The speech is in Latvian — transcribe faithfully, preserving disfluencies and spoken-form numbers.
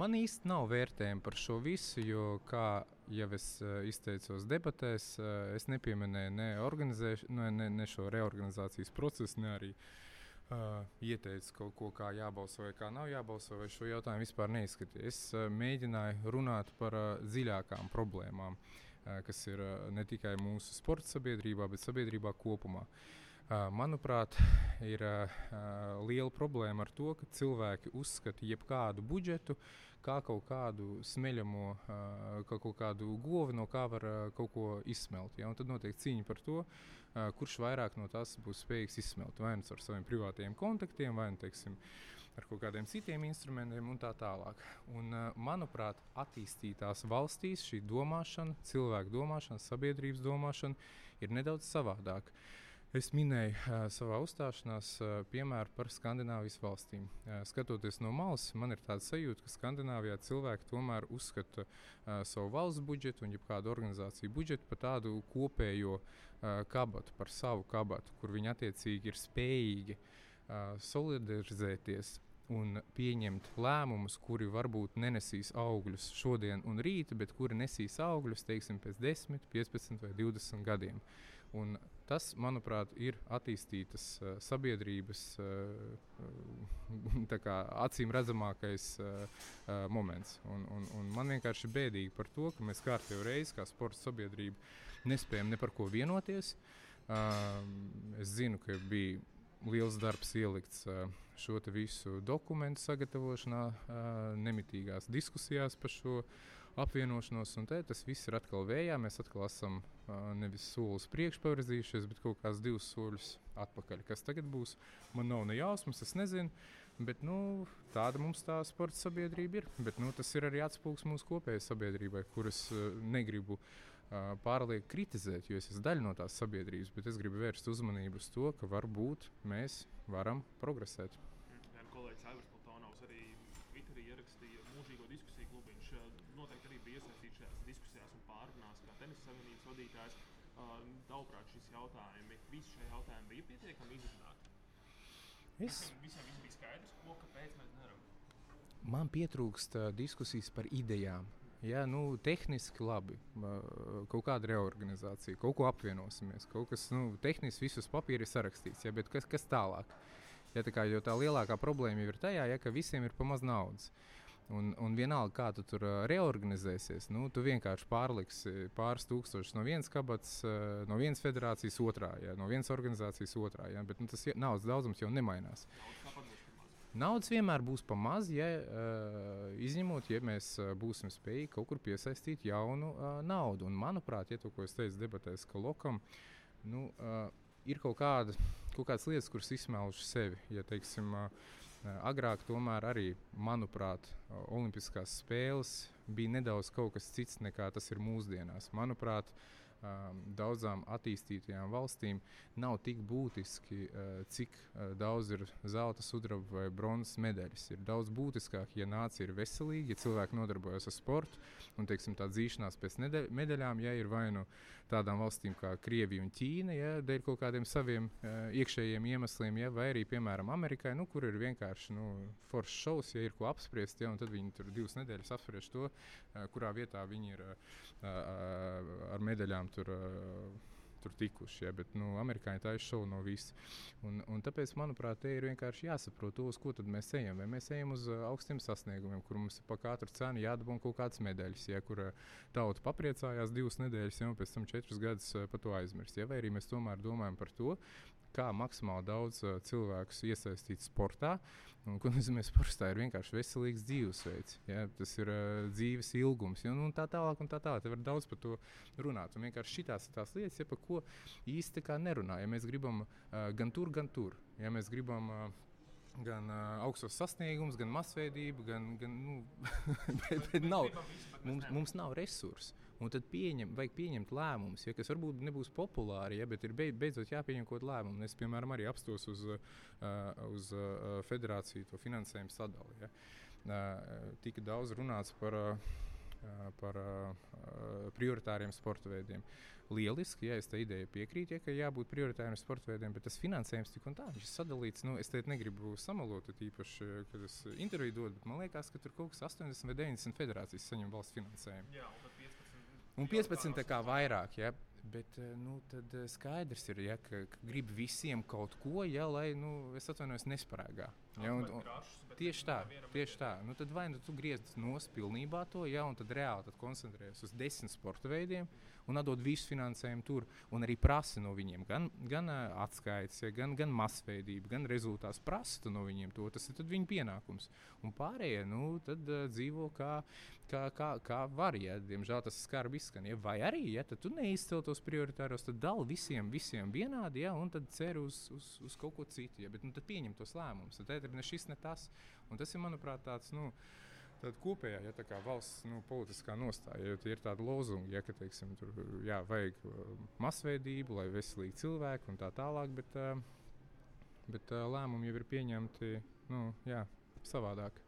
Man īsti nav vērtējumi par šo visu, jo, kā jau es uh, izteicos debatēs, uh, es nepieminēju ne, ne, ne, ne šo reorganizācijas procesu, ne arī uh, ieteicu kaut ko, kā jābalso vai kā nav jābalso, vai šo jautājumu vispār neizskatīju. Es uh, mēģināju runāt par uh, dziļākām problēmām, uh, kas ir uh, ne tikai mūsu sporta sabiedrībā, bet sabiedrībā kopumā. Uh, manuprāt, ir uh, liela problēma ar to, ka cilvēki uzskata jebkādu budžetu kā kaut kādu smeļamo, uh, kā kaut kādu govi, no kā var uh, kaut ko izsmelt. Ja? Un tad notiek cīņa par to, uh, kurš vairāk no tās būs spējīgs izsmelt. Vai nu ar saviem privātajiem kontaktiem, vai nu, teiksim, ar kaut kādiem citiem instrumentiem un tā tālāk. Un, uh, manuprāt, attīstītās valstīs šī domāšana, cilvēku domāšana, sabiedrības domāšana ir nedaudz savādāka. Es minēju uh, savā uzstāšanās uh, piemēru par Skandināvijas valstīm. Uh, skatoties no malas, man ir tāda sajūta, ka Skandināvijā cilvēki tomēr uzskata uh, savu valsts budžetu un jebkādu organizāciju budžetu par tādu kopējo uh, kabatu, par savu kabatu, kur viņi attiecīgi ir spējīgi uh, solidarizēties un pieņemt lēmumus, kuri varbūt nenesīs augļus šodien un rīt, bet kuri nesīs augļus, teiksim, pēc desmit, piecpadsmit vai divdesmit gadiem. Un tas, manuprāt, ir attīstītas uh, sabiedrības uh, tā kā acīm redzamākais uh, uh, moments. Un, un, un man vienkārši bēdīgi par to, ka mēs kārtējo reizi kā sporta sabiedrība nespējam ne par ko vienoties. Uh, es zinu, ka bija liels darbs ielikts uh, šo te visu dokumentu sagatavošanā, uh, nemitīgās diskusijās par šo apvienošanos, un te tas viss ir atkal vējā. Mēs atkal esam uh, nevis solis priekš pavirzījušies, bet kaut kāds divus soļus atpakaļ. Kas tagad būs, man nav ne jausmas, es nezinu, bet nu, tāda mums tā sporta sabiedrība ir. Bet nu, tas ir arī atspūgs mūsu kopējai sabiedrībai, kuras uh, negribu uh, pārliek kritizēt, jo es esmu daļa no tās sabiedrības, bet es gribu vērst uzmanību uz to, ka varbūt mēs varam progresēt. Jā, kolēģis Aivars Platonovs arī Twitterī ierakstīja mūžīgo diskusiju klubu. Viņš noteikti arī bija iesaistīts šajās diskusijās un pārrunās kā tenisa savienības vadītājs. Uh, Tavuprāt, šis jautājumi, visi šie jautājumi bija pietiekami izrunāti? Es... Visiem, visiem viss bija skaidrs, ko, kāpēc mēs nevaram? Man pietrūkst uh, diskusijas par idejām. Jā, nu, tehniski labi, uh, kaut kāda reorganizācija, kaut ko apvienosimies, kaut kas, nu, tehniski visus papīri ir sarakstīts, jā, bet kas, kas tālāk? Ja, tā kā, jo tā lielākā problēma ir tajā, ja, ka visiem ir pa maz naudas. Un, un vienalga, kā tu tur uh, reorganizēsies, nu, tu vienkārši pārliksi pāris tūkstošus no vienas kabatas, uh, no vienas federācijas otrā, ja, no vienas organizācijas otrā, ja, bet nu, tas naudas daudzums jau nemainās. Naudas vienmēr būs pa maz, ja, uh, izņemot, ja mēs uh, būsim spējīgi kaut kur piesaistīt jaunu uh, naudu. Un, manuprāt, ja to, ko es teicu debatēs, ka lokam, nu, uh, ir kaut, kāda, kaut kādas lietas, kuras izsmēluši sevi. Ja, teiksim, uh, agrāk tomēr arī, manuprāt, olimpiskās spēles bija nedaudz kaut kas cits nekā tas ir mūsdienās. Manuprāt, um, daudzām attīstītajām valstīm nav tik būtiski, uh, cik uh, daudz ir zelta, sudraba vai bronzas medaļas. Ir daudz būtiskāk, ja nācija ir veselīga, ja cilvēki nodarbojas ar sportu un, teiksim, tā dzīšanās pēc medaļām, ja ir vai nu tādām valstīm kā Krievija un Ķīna, ja, dēļ kaut kādiem saviem uh, iekšējiem iemesliem, ja, vai arī, piemēram, Amerikai, nu, kur ir vienkārši nu, foršs šovs, ja ir ko apspriest, ja, un tad viņi tur divas nedēļas apspriež to, uh, kurā vietā viņi ir uh, uh, ar medaļām tur, uh, tur tikuši, ja, bet nu, amerikāņi tā ir šovu no visi. Un, un tāpēc, manuprāt, te ir vienkārši jāsaprot to, uz ko tad mēs ejam. Vai mēs ejam uz uh, augstiem sasniegumiem, kur mums pa katru cenu jādabū kaut kādas medaļas, ja, kur uh, tauta papriecājās divas nedēļas, ja, un pēc tam četrus gadus uh, par to aizmirst. Ja, vai arī mēs tomēr domājam par to, kā maksimāli daudz uh, cilvēkus iesaistīt sportā. Un, ko nozīmē sportā ir vienkārši veselīgs dzīvesveids. Ja? Tas ir uh, dzīves ilgums. Ja? Un, un tā tālāk un tā tālāk. Te var daudz par to runāt. Un vienkārši šitās ir tās lietas, ja, par ko īsti kā nerunā. Ja mēs gribam uh, gan tur, gan tur. Ja mēs gribam uh, gan uh, augstos sasniegumus, gan masveidību, gan, gan nu, bet, bet nav, mums, mums nav resursi. Un tad pieņem, vajag pieņemt lēmumus, ja, kas varbūt nebūs populāri, ja, bet ir beidzot jāpieņem kaut lēmumu. Es, piemēram, arī apstos uz, uh, uz uh, federāciju to finansējumu sadali. Ja. Uh, tika daudz runāts par, uh, uh, par uh, prioritāriem sporta veidiem. Lieliski, ja es tā ideja piekrītu, ja, ka jābūt prioritāriem sporta veidiem, bet tas finansējums tik un tā, viņš ir sadalīts. Nu, es te negribu samalot, īpaši, kad es interviju dodu, bet man liekas, ka tur kaut kas astoņdesmit vai deviņdesmit federācijas saņem valsts finansējumu. Jā, un tad piecpadsmit. Un piecpadsmit tā kā vairāk, ja. Bet nu, tad skaidrs ir, ja, ka, ka grib visiem kaut ko, ja, lai, nu, es atvainojos, nesparēgā. Ja, un, un, krašus, tieši tā, tieši tā. Nu, tad vai nu tu griez nos pilnībā to, ja, un tad reāli tad koncentrējies uz desmit sporta veidiem un atdod visu finansējumu tur, un arī prasa no viņiem gan, gan uh, atskaites, ja, gan, gan masveidība, gan rezultāts prasa no viņiem to, tas ir tad viņu pienākums. Un pārējie, nu, tad uh, dzīvo kā, kā, kā, kā var, ja, diemžēl tas skarbi izskan, ja, vai arī, ja, tad tu neizcel tos prioritāros, tad dal visiem, visiem vienādi, ja, un tad cer uz, uz, uz kaut ko citu, ja, bet nu, tad pieņem tos lēmumus, tad ir ne šis, ne tas, un tas ir, manuprāt, tāds, nu, tāda kopējā, ja tā kā valsts nu, politiskā nostāja, jo tie ir tādi lozungi, ja, ka, teiksim, tur, jā, vajag masveidību, lai veselīgi cilvēki un tā tālāk, bet, bet lēmumi jau ir pieņemti, nu, jā, savādāk.